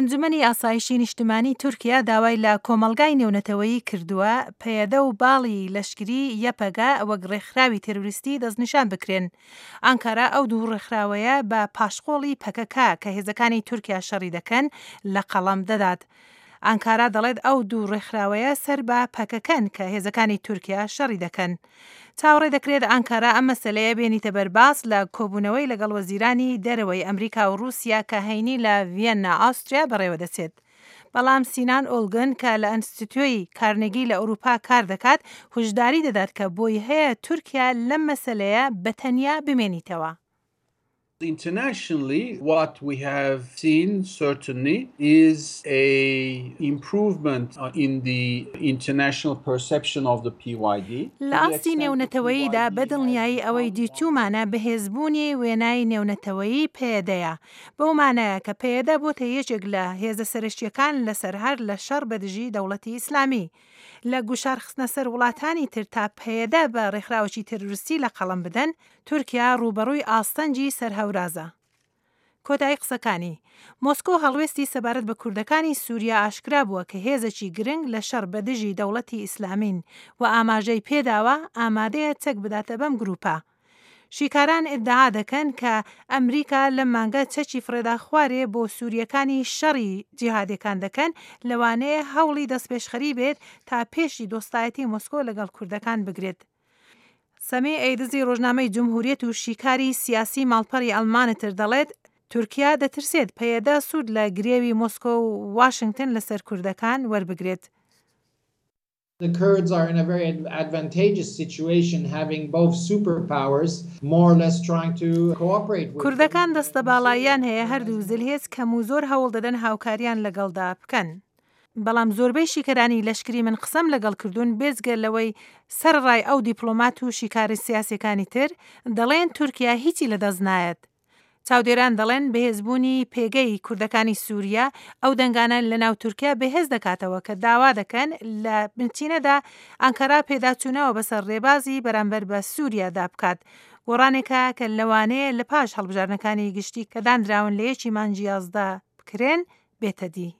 ئەنجومەنی ئاسایشی نیشتمانی تورکیا داوای لە کۆمەڵگای نێونەتەوەیی کردووە پەیەدە و باڵی لەشکری یەپەگە وەک ڕێکخراوی تێرۆریستی دەستنیشان بکرێن. ئانکارا ئەو دوو ڕێکخراوەیە بە پاشقۆڵی پەکەکە کە هێزەکانی تورکیا شەڕی دەکەن لە قەڵەم دەدات. ئانکارا دەڵێت ئەو دوو ڕێکخراوەیە سەر بە پەکەکەن کە هێزەکانی تورکیا شەڕی دەکەن. چاوەڕێ دەکرێت ئانکارا ئەم مەسەلەیە بێنیتە بەر باس لە کۆبوونەوەی لەگەڵ وەزیرانی دەرەوەی ئەمریکا و ڕووسیا کە هەینی لە ڤیەننا ئاوستریا بەڕێوەدەچێت. بەڵام سینان ئۆلگن کە لە ئەنستیتۆی کارنێگی لە ئەوروپا کار دەکات هوشداری دەدات کە بۆی هەیە تورکیا لەم مەسەلەیە بە تەنیا بمێنیتەوە. Internationally, what we have seen certainly is a improvement in the international perception of the PYD. لە ئاستی نێونەتەوەییدا بە دڵنیایی ئەوەی دیتوومانە بەهێزبوونی وێنای نێونەتەوەیی پەیەدەیە، بەو مانایە کە پەیەدە بۆتە یەکێک لە هێزە سەرەکییەکان لەسەر هەر لە شەڕ بەدژی دەوڵەتی ئیسلامی. لە گوشار خستنە سەر وڵاتانی تر تا پەیەدە بە ڕێکخراوێکی تێرۆریستی لە قەڵەم بدەن، تورکیا ڕووبەڕووی ئاستەنگی سەر هەورازە. کۆتایی قسەکانی. مۆسکۆ هەڵوێستی سەبارەت بە کوردەکانی سوریا ئاشکرا بووە کە هێزێکی گرنگ لە شەڕ بە دژی دەوڵەتی ئیسلامین و ئاماژەی پێداوە ئامادەیە چەک بداتە بەم گروپە. شیکاران ئیدعا دەکەن کە ئەمریکا لەم مانگە چەکی فڕێدا خوارێ بۆ سورییەکانی شەڕی جیهادێکان دەکەن، لەوانەیە هەوڵی دەستپێشخەری بێت تا پێشی دۆستایەتی مۆسکۆ لەگەڵ کوردەکان بگرێت. سەمی ئەیدزی ڕۆژنامەی جمهوریەت و شیکاری سیاسی ماڵپەڕی ئەلمانتر دەڵێت، تورکیا دەترسێت پەیەدە سوود لە گرێوی مۆسکۆ و واشنگتن لەسەر کوردەکان وەربگرێت. The Kurds are in a very advantageous situation having both superpowers more or less trying to cooperate with them. کوردەکان دەستەباڵاییان هەیە هەردوو زلهێز کەم و زۆر هەوڵ دەدەن هاوکاریان لەگەڵدا بکەن. بەڵام زۆربەی شیکەرانی لەشکری من قسەم لەگەڵ کردوون بێجگە لەوەی سەرەڕای ئەو دیپڵۆمات و شیکارە سیاسیەکانی تر دەڵێن تورکیا هیچی لەدەست نایەت. چاودێران دەڵێن بەهێزبوونی پێگەی کوردەکانی سوریا ئەو دەنگانە لەناو تورکیا بەهێز دەکاتەوە کە داوا دەکەن لە بنچینەدا ئانکەرا پێداچوونەوە بەسەر رێبازی بەرامبەر بە سوریادا بکات گۆڕانێکە کە لەوانەیە لە پاش هەڵبژاردنەکانی گشتی کە دانراون لە یەکی مانگی 11 بکرێن بێتەدی.